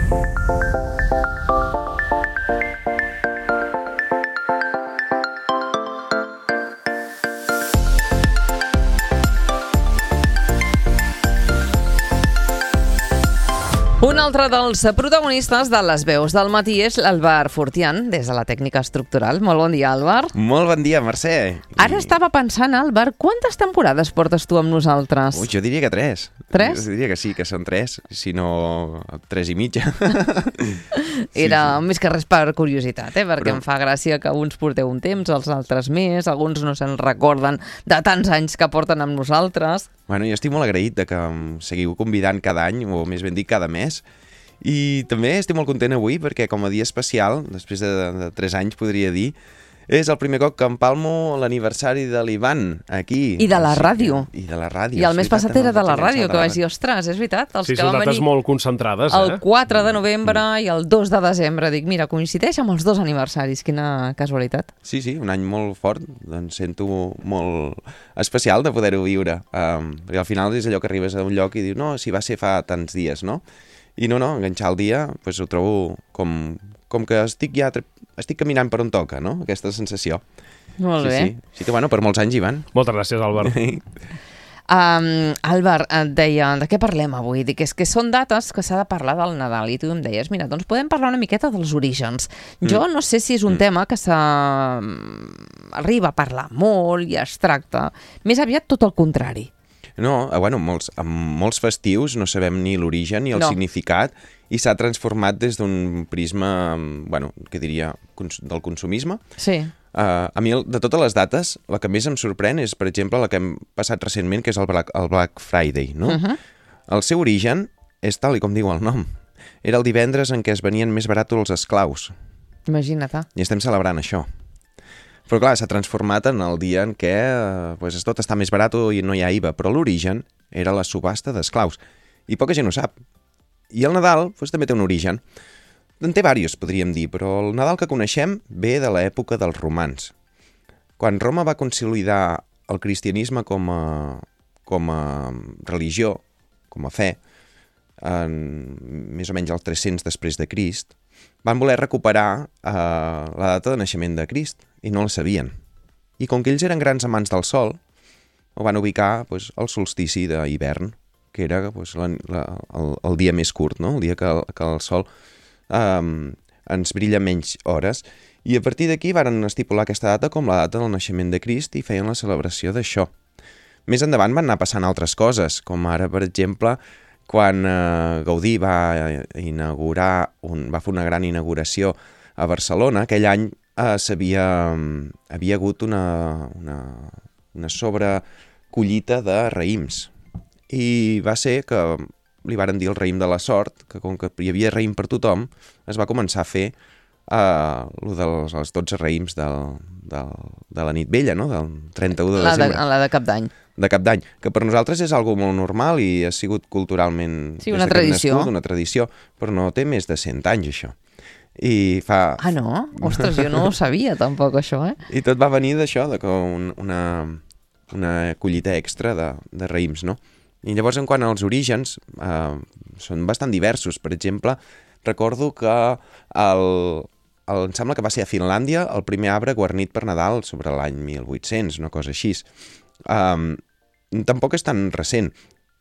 Un altre dels protagonistes de les veus del matí és l'Àlvar Fortián, des de la tècnica estructural. Molt bon dia, Àlvar. Molt bon dia, Mercè. Ara estava pensant, Àlvar, quantes temporades portes tu amb nosaltres? Ui, jo diria que 3. 3? Jo diria que sí, que són 3, si no 3 i mitja. Era més que res per curiositat, perquè em fa gràcia que uns porteu un temps, els altres més, alguns no se'n recorden de tants anys que porten amb nosaltres. Bueno, jo estic molt agraït de que em seguiu convidant cada any, o més ben dit cada mes, i també estic molt content avui perquè com a dia especial, després de 3 anys podria dir, és el primer cop que empalmo l'aniversari de l'Ivan aquí. I de la ràdio. I de la ràdio. I el mes passat era de la ràdio, que vaig dir, ostres, és veritat. Sí, són dates molt concentrades. El 4 de novembre i el 2 de desembre. Dic, mira, coincideix amb els 2 aniversaris. Quina casualitat. Sí, un any molt fort. Doncs sento molt especial de poder-ho viure. Perquè al final és allò que arribes a un lloc i dius, no, si va ser fa tants dies, no? I no, enganxar el dia, doncs ho trobo com que estic caminant per on toca, no? Aquesta sensació. Molt bé. Sí, que bueno, per molts anys, Ivan. Moltes gràcies, Àlvar. Àlvar, et deia, de què parlem avui? Dic, és que són dates que s'ha de parlar del Nadal i tu em deies, mira, doncs podem parlar una miqueta dels orígens. Jo no sé si és un tema que s'arriba a parlar molt i es tracta. Més aviat tot el contrari. No, bueno, amb molts festius no sabem ni l'origen ni el significat i s'ha transformat des d'un prisma, bueno, què diria, del consumisme. Sí. A mi, de totes les dates, la que més em sorprèn és, per exemple, la que hem passat recentment, que és el Black Friday, no? El seu origen és tal i com diu el nom. Era el divendres en què es venien més baratos els esclaus. Imagina't. I estem celebrant això. Però clar, s'ha transformat en el dia en què tot està més barat i no hi ha IVA, però l'origen era la subhasta d'esclaus. I poca gent ho sap. I el Nadal també té un origen. En té diversos, podríem dir, però el Nadal que coneixem ve de l'època dels romans. Quan Roma va consolidar el cristianisme com a religió, com a fe, més o menys al 300 després de Crist, van voler recuperar la data de naixement de Crist i no la sabien. I com que ells eren grans amants del sol, ho van ubicar al solstici d'hivern, que era el dia més curt, no? El dia que el sol ens brilla menys hores. I a partir d'aquí varen estipular aquesta data com la data del naixement de Crist i feien la celebració d'això. Més endavant van anar passant altres coses, com ara, per exemple, quan Gaudí va fer una gran inauguració a Barcelona, aquell any havia hagut una sobrecollita de raïms. I va ser que li varen dir el raïm de la sort, que com que hi havia raïm per tothom, es va començar a fer els 12 raïms de la nit vella, no? Del 31 de desembre. La de Cap d'Any. De Cap d'Any, que per nosaltres és algo molt normal i ha sigut culturalment... Sí, una tradició. Una tradició, però no té més de 100 anys, això. Ah, no? Ostres, jo no ho sabia, tampoc, això, I tot va venir d'això, una collita extra de raïms, no? I llavors, en quant als orígens, són bastant diversos. Per exemple, recordo que em sembla que va ser a Finlàndia el primer arbre guarnit per Nadal sobre l'any 1800, una cosa així. Tampoc és tan recent.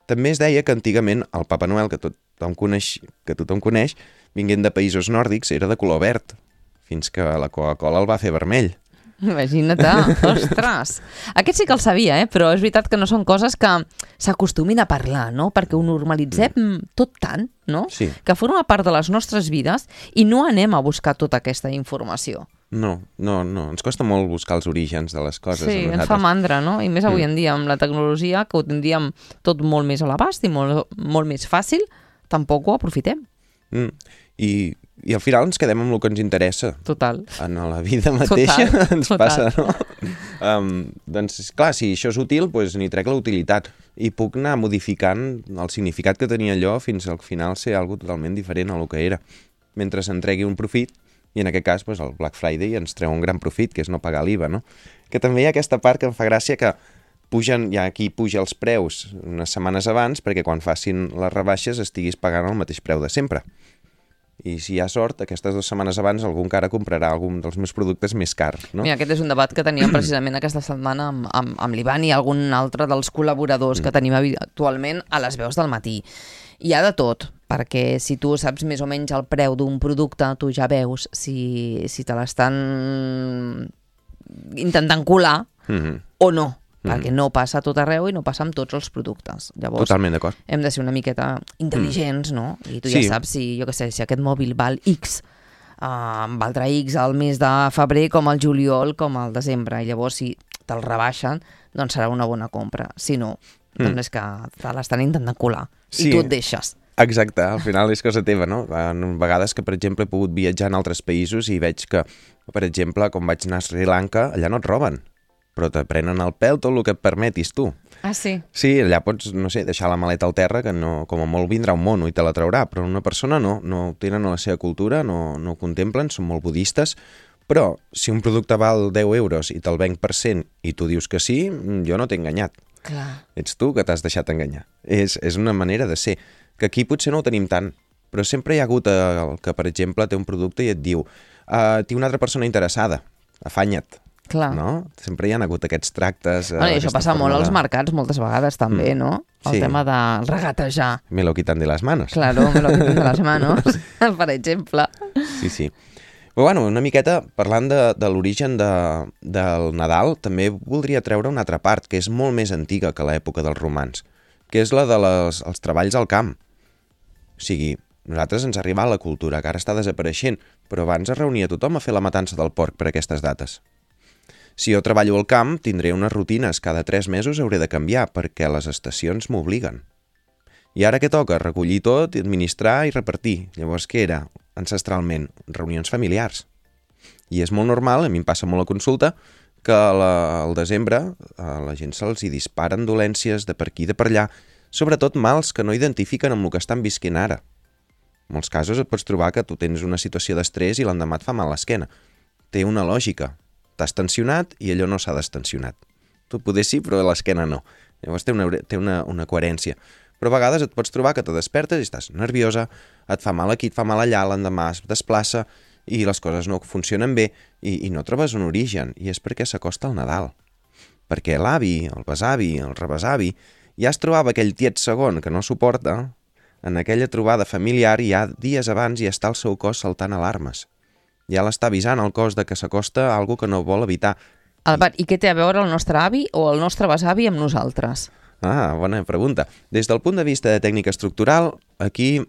També es deia que antigament el Papa Noel, que tothom coneix, vinguent de països nòrdics, era de color verd, fins que la Coca-Cola el va fer vermell. Imagina't, ostres! Aquest sí que el sabia, però és veritat que no són coses que s'acostumin a parlar, no? Perquè ho normalitzem tot tant, no? Sí. Que forma part de les nostres vides i no anem a buscar tota aquesta informació. No, ens costa molt buscar els orígens de les coses. Sí, ens fa mandra, no? I més avui en dia, amb la tecnologia, que ho tindríem tot molt més a l'abast i molt més fàcil, tampoc ho aprofitem. I al final ens quedem amb el que ens interessa. Total. En la vida mateixa ens passa, no? Doncs, clar, si això és útil, doncs n'hi trec la utilitat. I puc anar modificant el significat que tenia allò fins al final ser algo totalment diferent a lo que era. Mentre se'n tregui un profit, i en aquest cas doncs, el Black Friday ens treu un gran profit, que és no pagar l'IVA, no? Que també hi ha aquesta part que em fa gràcia que aquí puja els preus unes setmanes abans perquè quan facin les rebaixes estiguis pagant el mateix preu de sempre. I si hi ha sort, aquestes 2 setmanes abans algú encara comprarà algun dels meus productes més cars, no? Mira, aquest és un debat que teníem precisament aquesta setmana amb l'Ivan i algun altre dels col·laboradors que tenim habitualment a les veus del matí. Hi ha de tot, perquè si tu saps més o menys el preu d'un producte, tu ja veus si te l'estan intentant colar o no, perquè no passa a tot arreu i no passa amb tots els productes. Llavors, Totalment d'acord. hem de ser una miqueta intel·ligents, no? I tu Sí. ja saps si, jo què sé, si aquest mòbil val X, valdrà X al mes de febrer com al juliol com al desembre. I llavors, si te'l rebaixen, doncs serà una bona compra. Si no, doncs és que te l'estan intentant colar. Sí. I tu et deixes. Exacte, al final és cosa teva, no? En vegades que, per exemple, he pogut viatjar en altres països i veig que, per exemple, com vaig anar a Sri Lanka, allà no et roben, però te prenen el pèl tot el que et permetis tu. Ah, sí? Sí, allà pots, no sé, deixar la maleta al terra, que no, com a molt vindrà un mono i te la traurà, però una persona no ho tenen a la seva cultura, no ho contemplen, són molt budistes, però si un producte val 10 euros i te'l venc per 100 i tu dius que sí, jo no t'he enganyat. Clar. Ets tu que t'has deixat enganyar. És una manera de ser, que aquí potser no ho tenim tant, però sempre hi ha hagut el que, per exemple, té un producte i et diu tinc una altra persona interessada, afanya't. Clar. No? Sempre hi ha hagut aquests tractes. Bueno, i això passa molt als mercats moltes vegades també, no? El Sí. tema de regatejar. Me lo quitan de las manos. Claro, me lo quitan de las manos, per exemple. Sí, sí. Però bueno, una miqueta, parlant de l'origen del Nadal, també voldria treure una altra part, que és molt més antiga que l'època dels romans, que és la dels treballs al camp. O sigui, nosaltres ens arriba la cultura, que ara està desapareixent, però abans es reunia tothom a fer la matança del porc per aquestes dates. Si jo treballo al camp, tindré unes rutines, cada 3 mesos hauré de canviar, perquè les estacions m'obliguen. I ara què toca? Recollir tot, administrar i repartir. Llavors, què era? Ancestralment, reunions familiars. I és molt normal, a mi em passa molt a consulta, que al desembre a la gent se'ls hi disparen dolències de per aquí i de per allà, sobretot mals que no identifiquen amb el que estan visquent ara. En molts casos et pots trobar que tu tens una situació d'estrès i l'endemà et fa mal l'esquena. Té una lògica. T'has tensionat i allò no s'ha destensionat. Tu poder sí, però l'esquena no. Llavors té una coherència. Però a vegades et pots trobar que te despertes i estàs nerviosa, et fa mal aquí, et fa mal allà, l'endemà es desplaça i les coses no funcionen bé i no trobes un origen. I és perquè s'acosta el Nadal. Perquè l'avi, el besavi, el rebesavi, ja es trobava aquell tiet segon que no suporta, en aquella trobada familiar ja dies abans ja està el seu cos saltant alarmes. Ja l'està avisant el cos de que s'acosta algo que no vol evitar. Albert, i què té a veure el nostre avi o el nostre besavi amb nosaltres? Ah, bona pregunta. Des del punt de vista de tècnica estructural, aquí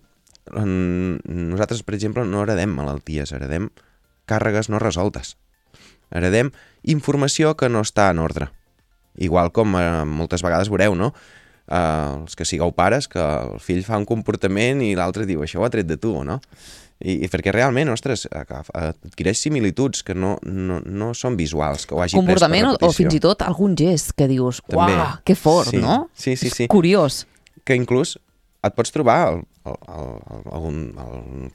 nosaltres, per exemple, no heredem malalties, heredem càrregues no resoltes. Heredem informació que no està en ordre. Igual com moltes vegades veureu, no? Els que sigueu pares, que el fill fa un comportament i l'altre diu, això ho ha tret de tu, no? I perquè realment, ostres, adquireix similituds que no són visuals, que ho hagi pres per Comportament repetició. o fins i tot algun gest que dius, També. uah, que fort, Sí, no? sí, sí, sí. Curiós. Que inclús et pots trobar el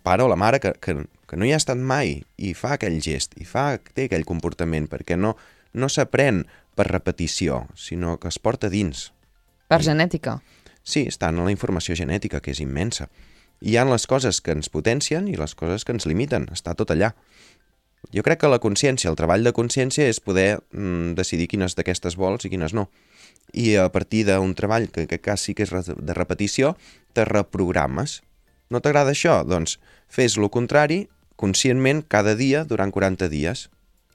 pare o la mare que no hi ha estat mai i fa aquell gest, i té aquell comportament, perquè no s'aprèn per repetició, sinó que es porta dins. Per genètica. Sí, està en la informació genètica, que és immensa. Hi ha les coses que ens potencien i les coses que ens limiten, està tot allà. Jo crec que la consciència, el treball de consciència és poder decidir quines d'aquestes vols i quines no. I a partir d'un treball, que en aquest cas sí que és de repetició, te reprogrames. No t'agrada això? Doncs fes lo contrari conscientment cada dia durant 40 dies.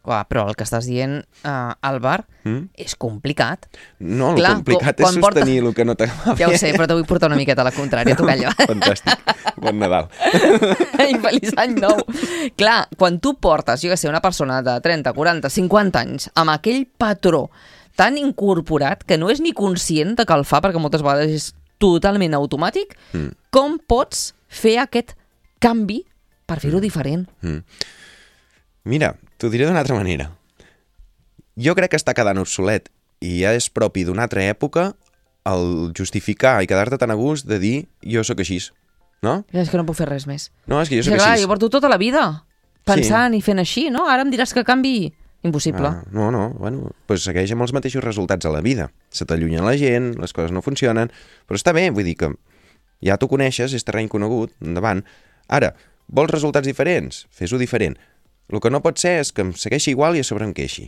Uah, però el que estàs dient, Albert, és complicat. No, Clar, el complicat és sostenir el que no t'agrada. Ja ho sé, però te vull portar una miqueta a la contrària, tu calla. Fantàstic. Bon Nadal. I feliç any nou. Clar, quan tu portes, jo que sé, una persona de 30, 40, 50 anys amb aquell patró tan incorporat que no és ni conscient de que el fa, perquè moltes vegades és totalment automàtic, com pots fer aquest canvi per fer-ho diferent? Mira, t'ho diré d'una altra manera. Jo crec que està quedant obsolet i ja és propi d'una altra època el justificar i quedar-te tan a gust de dir jo sóc així, no? És que no puc fer res més. No, és que jo És sóc que, clar, així. jo porto tota la vida pensant i fent així, no? Ara em diràs que canvi. Impossible. No, bueno, doncs segueix amb els mateixos resultats a la vida. Se t'allunya la gent, les coses no funcionen, però està bé, vull dir que ja t'ho coneixes, és terreny conegut, endavant. Ara, Vols resultats diferents? Fes-ho diferent. El que no pot ser és que em segueixi igual i a sobre em queixi.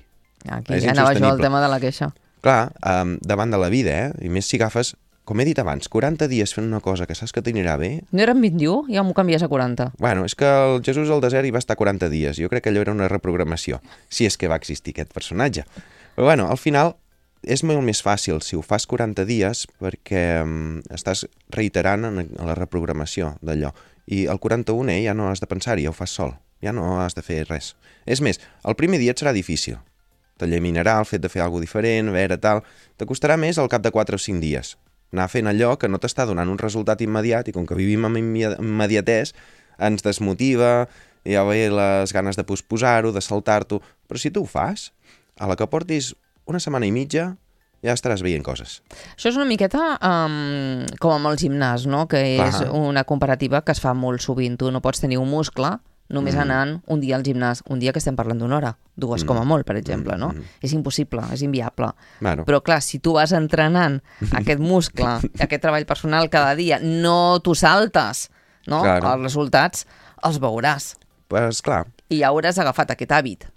Aquí És ja anava jo al insostenible. tema de la queixa. Clar, davant de la vida, i més si agafes, com he dit abans, 40 dies fent una cosa que saps que t'anirà bé. No eren 21? Ja m'ho canvies a 40. Bueno, és que el Jesús al desert hi va estar 40 dies. Jo crec que allò era una reprogramació, si és que va existir aquest personatge. Però bueno, al final és molt més fàcil si ho fas 40 dies perquè estàs reiterant en la reprogramació d'allò. I el 41è ja no has de pensar-hi, ja ho fas sol. Ja no has de fer res. És més, el primer dia et serà difícil. T'ellaminarà el fet de fer alguna diferent, a veure, tal. T'acostarà més al cap de 4 o 5 dies. Anar fent allò que no t'està donant un resultat immediat i com que vivim amb immediatès, ens desmotiva, ja ve les ganes de posposar-ho, de saltar-t'ho. Però si tu ho fas, a la que portis una setmana i mitja, ja estaràs veient coses. Això és una miqueta com amb el gimnàs, no? Que és una comparativa que es fa molt sovint. Tu no pots tenir un muscle només anant un dia al gimnàs, un dia que estem parlant d'una hora, 2 com a molt, per exemple, no? És impossible, és inviable. Bueno. Però clar, si tu vas entrenant aquest muscle, aquest treball personal cada dia, no t'ho saltes, no? Claro. Els resultats els veuràs. Pues clar. I ja hauràs agafat aquest hàbit.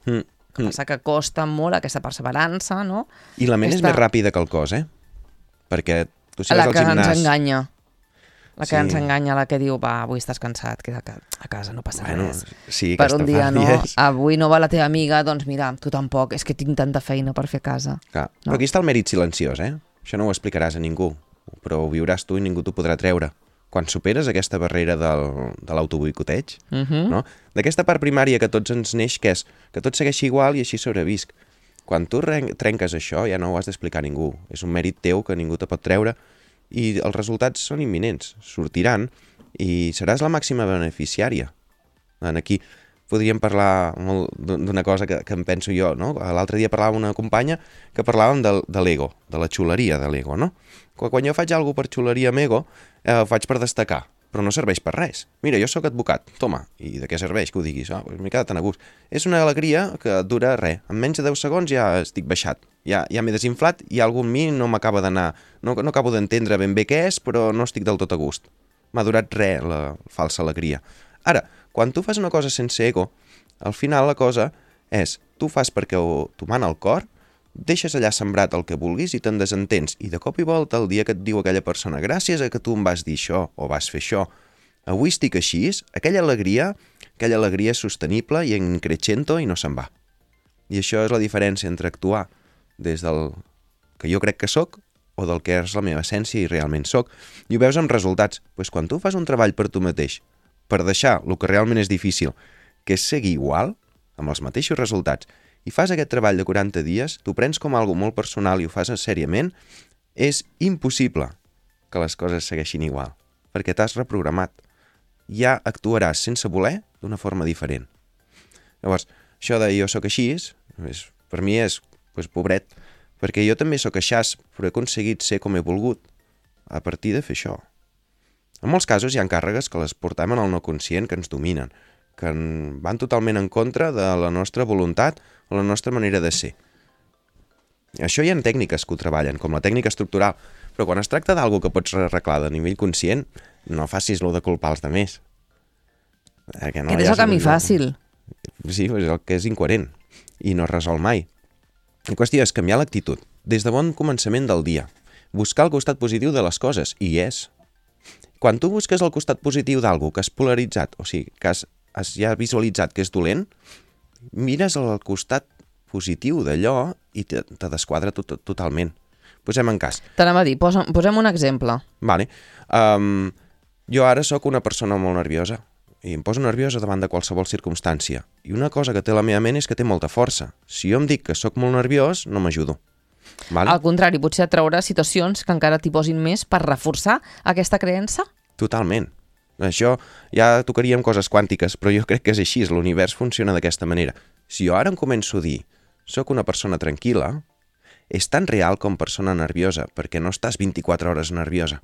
Que passa que costa molt aquesta perseverança, no? I la ment és més ràpida que el cos, Perquè tu si vas al gimnàs... La que ens enganya. La que ens enganya, la que diu, va, avui estàs cansat, queda a casa, no passa res. Sí, per un dia no, avui no va la teva amiga, doncs mira, tu tampoc, és que tinc tanta feina per fer a casa. Clar. No. Però aquí està el mèrit silenciós, Això no ho explicaràs a ningú, però ho viuràs tu i ningú t'ho podrà treure. Quan superes aquesta barrera de l'autoboicoteig, no? D'aquesta part primària que tots ens neix, que és que tot segueixi igual i així sobrevisc. Quan tu trenques això, ja no ho has d'explicar a ningú. És un mèrit teu que ningú te pot treure i els resultats són imminents, sortiran i seràs la màxima beneficiària. Aquí podríem parlar molt d'una cosa que em penso jo, no? L'altre dia parlava amb una companya que parlàvem de l'ego, de la xuleria de l'ego, no? Quan jo faig alguna per xuleria amb ego, ho faig per destacar, però no serveix per res. Mira, jo sóc advocat, toma, i de què serveix que ho diguis? Pues m'he quedat tan a gust. És una alegria que dura res. En menys de 10 segons ja estic baixat. Ja m'he desinflat i algú en mi no m'acaba d'anar... No acabo d'entendre ben bé què és, però no estic del tot a gust. M'ha durat res, la falsa alegria. Ara, quan tu fas una cosa sense ego, al final la cosa és, tu fas perquè t'ho mana el cor, deixes allà sembrat el que vulguis i te'n desentens. I de cop i volta, el dia que et diu aquella persona, gràcies a que tu em vas dir això o vas fer això, avui estic així, aquella alegria és sostenible i en crescendo i no se'n va. I això és la diferència entre actuar des del que jo crec que sóc o del que és la meva essència i realment sóc. I ho veus amb resultats. Pues quan tu fas un treball per tu mateix, per deixar el que realment és difícil, que és seguir igual, amb els mateixos resultats, i fas aquest treball de 40 dies, t'ho prens com algo molt personal i ho fas seriament, és impossible que les coses segueixin igual, perquè t'has reprogramat. Ja actuaràs sense voler d'una forma diferent. Llavors, això de jo sóc així, per mi és, pobret, perquè jo també sóc aixàs, però he aconseguit ser com he volgut a partir de fer això. En molts casos hi ha càrregues que les portem en el no conscient, que ens dominen, que van totalment en contra de la nostra voluntat o la nostra manera de ser. Això hi ha tècniques que ho treballen, com la tècnica estructural, però quan es tracta d'algú que pots arreglar de nivell conscient, no facis lo de culpar els altres. Que és el camí fàcil. Sí, és el que és incoherent i no es resol mai. La qüestió és canviar l'actitud, des de bon començament del dia, buscar el costat positiu de les coses, i és. Quan tu busques el costat positiu d'algú que has polaritzat, o sigui, que has ja visualitzat que és dolent, mires el costat positiu d'allò i te desquadra totalment. Posem en cas. T'anava a dir, posem un exemple. Vale. Jo ara sóc una persona molt nerviosa i em poso nerviosa davant de qualsevol circumstància. I una cosa que té la meva ment és que té molta força. Si jo em dic que sóc molt nerviós, no m'ajudo. Vale? Al contrari, potser et traurà situacions que encara t'hi posin més per reforçar aquesta creença? Totalment. Això ja tocaríem coses quàntiques, però jo crec que és així, l'univers funciona d'aquesta manera. Si jo ara em començo a dir soc una persona tranquil·la, és tan real com persona nerviosa, perquè no estàs 24 hores nerviosa.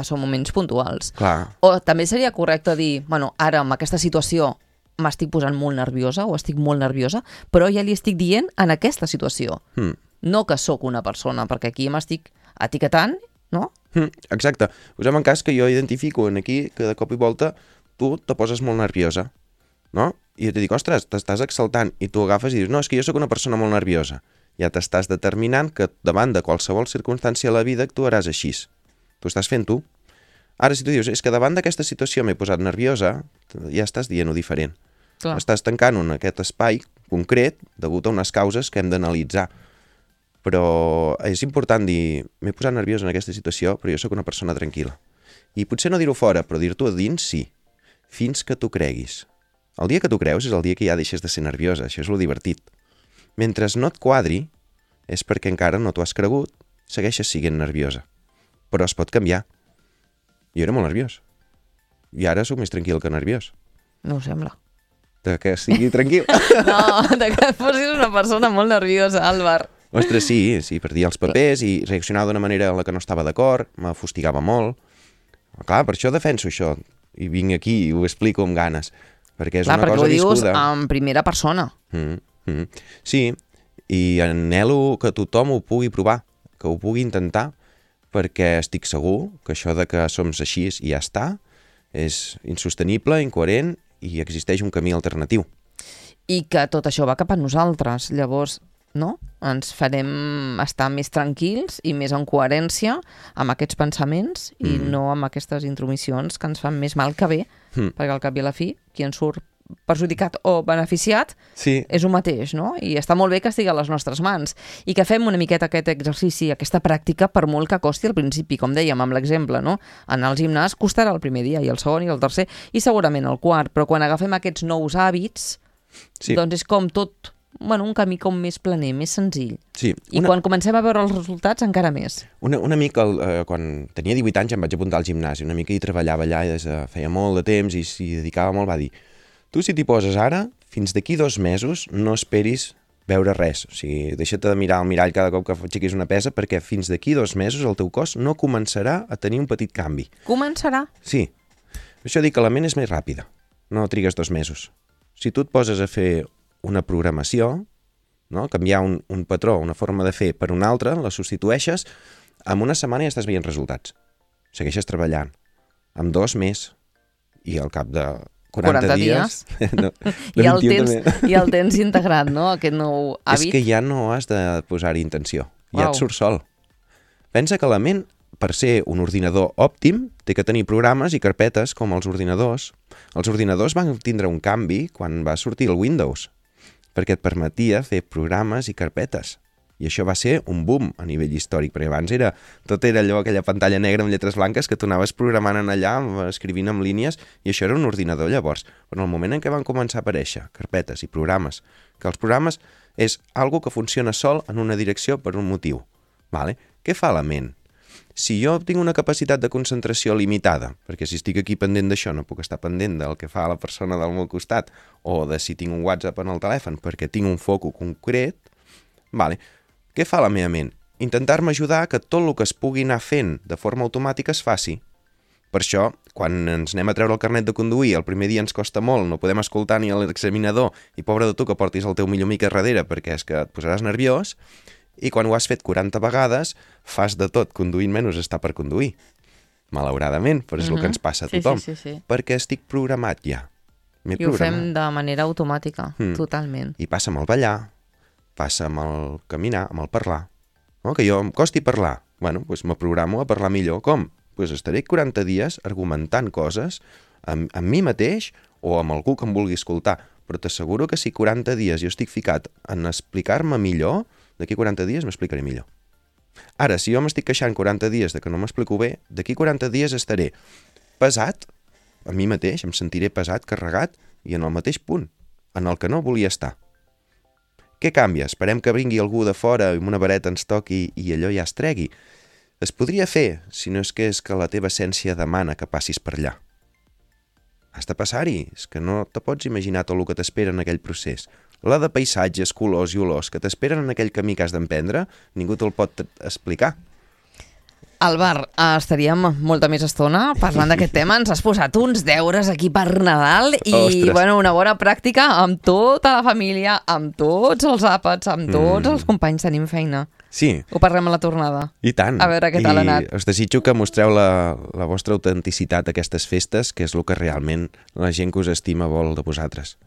Són moments puntuals. Clar. O també seria correcte dir, bueno, ara amb aquesta situació m'estic posant molt nerviosa o estic molt nerviosa, però ja li estic dient en aquesta situació. No que sóc una persona, perquè aquí m'estic etiquetant, no? Exacte. Posem en cas que jo identifico aquí que de cop i volta tu te poses molt nerviosa, no? I jo te dic, ostres, t'estàs exaltant, i tu agafes i dius, no, és que jo sóc una persona molt nerviosa. Ja t'estàs determinant que davant de qualsevol circumstància a la vida actuaràs així. Tu estàs fent tu. Ara, si tu dius, és que davant d'aquesta situació m'he posat nerviosa, ja estàs dient-ho diferent. Clar. Estàs tancant en aquest espai concret degut a unes causes que hem d'analitzar. Però és important dir, m'he posat nerviós en aquesta situació, però jo sóc una persona tranquil·la. I potser no dir-ho fora, però dir-t'ho a dins sí, fins que tu creguis. El dia que tu creus és el dia que ja deixes de ser nerviosa, això és lo divertit. Mentre no et quadri, és perquè encara no t'ho has cregut, segueixes sent nerviosa. Però es pot canviar. Jo era molt nerviós. I ara sóc més tranquil que nerviós. No ho sembla. De que sigui tranquil. No, de que fossis una persona molt nerviosa, Àlvar. Ostres, sí, perdia els papers i reaccionava d'una manera en la que no estava d'acord, me fustigava molt. Clar, per això defenso això. I vinc aquí i ho explico amb ganes. Perquè és una cosa viscuda. Clar, perquè ho dius en primera persona. Sí, i anhelo que tothom ho pugui provar, que ho pugui intentar, perquè estic segur que això de que som així i ja està és insostenible, incoherent i existeix un camí alternatiu. I que tot això va cap a nosaltres. Llavors, no? Ens farem estar més tranquils i més en coherència amb aquests pensaments i no amb aquestes intromissions que ens fan més mal que bé, perquè al cap i a la fi, qui en surt perjudicat o beneficiat és un mateix, no? I està molt bé que estigui a les nostres mans i que fem una miqueta aquest exercici, aquesta pràctica, per molt que costi al principi, com dèiem amb l'exemple, no? Anar al gimnàs costarà el primer dia i el segon i el tercer i segurament el quart, però quan agafem aquests nous hàbits, doncs és com tot, un camí com més planer, més senzill. Sí, I quan comencem a veure els resultats, encara més. Un amic, quan tenia 18 anys, em vaig apuntar al gimnàs, un amic que hi treballava allà i feia molt de temps i s'hi dedicava molt, va dir: tu, si t'hi poses ara, fins d'aquí 2 mesos no esperis veure res. O sigui, deixa't de mirar al mirall cada cop que aixequis una pesa, perquè fins d'aquí 2 mesos el teu cos no començarà a tenir un petit canvi. Començarà? Sí. Per això dic que la ment és més ràpida. No trigues 2 mesos. Si tu et poses a fer una programació, no? Canviar un patró, una forma de fer per una altra, la substitueixes, en una setmana ja estàs veient resultats. Segueixes treballant. En 2 més. I al cap de 40 dies. No, I el tens integrat, no? Aquest nou hàbit. És que ja no has de posar-hi intenció. Ja et surt sol. Pensa que la ment, per ser un ordinador òptim, té que tenir programes i carpetes com els ordinadors. Els ordinadors van tindre un canvi quan va sortir el Windows, perquè et permetia fer programes i carpetes. I això va ser un boom a nivell històric, perquè abans tot era allò, aquella pantalla negra amb lletres blanques que tu anaves programant en allà, escrivint amb línies, i això era un ordinador llavors. Però en el moment en què van començar a aparèixer carpetes i programes, que els programes és algo que funciona sol en una direcció per un motiu. Vale? Què fa la ment? Si jo tinc una capacitat de concentració limitada, perquè si estic aquí pendent d'això no puc estar pendent del que fa la persona del meu costat, o de si tinc un WhatsApp en el telèfon perquè tinc un foco concret, vale. Què fa la meva ment? Intentar-me ajudar que tot el que es pugui anar fent de forma automàtica es faci. Per això, quan ens anem a treure el carnet de conduir, el primer dia ens costa molt, no podem escoltar ni l'examinador, i pobre de tu que portis el teu millor amic a darrere perquè és que et posaràs nerviós, i quan ho has fet 40 vegades, fas de tot, conduint menys està per conduir. Malauradament, però és el que ens passa a tothom. Sí. Perquè estic programat ja. I ho fem de manera automàtica, totalment. I passa amb el ballar, passa amb el caminar, amb el parlar. No? Que jo em costi parlar. Bueno, doncs me programo a parlar millor. Com? Doncs estaré 40 dies argumentant coses amb mi mateix o amb algú que em vulgui escoltar. Però t'asseguro que si 40 dies jo estic ficat en explicar-me millor, d'aquí 40 dies m'explicaré millor. Ara, si jo m'estic queixant 40 dies de que no m'explico bé, d'aquí 40 dies estaré pesat a mi mateix, em sentiré pesat, carregat i en el mateix punt, en el que no volia estar. Què canvia? Esperem que vingui algú de fora i amb una vareta ens toqui i allò ja es tregui. Es podria fer, si no és que la teva essència demana que passis per allà. Has de passar-hi, és que no te pots imaginar tot el que t'espera en aquell procés. La de paisatges, colors i olors que t'esperen en aquell camí que has d'emprendre, ningú te'l pot explicar. Àlvar, estaríem molta més estona parlant d'aquest tema. Ens has posat uns deures aquí per Nadal i una bona pràctica amb tota la família, amb tots els àpats, amb tots els companys. Tenim feina. Sí, Ho parlem a la tornada. i tant. A veure què tal ha anat. I us desitjo que mostreu la vostra autenticitat a aquestes festes, que és el que realment la gent que us estima vol de vosaltres.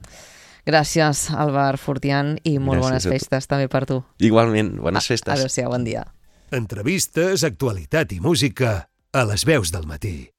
Gràcies, Albert Fortián, i molt bones Gràcies a tu. festes també per tu. Igualment, bones festes. Adéu-siau, bon dia. Entrevistes, actualitat i música a les veus del matí.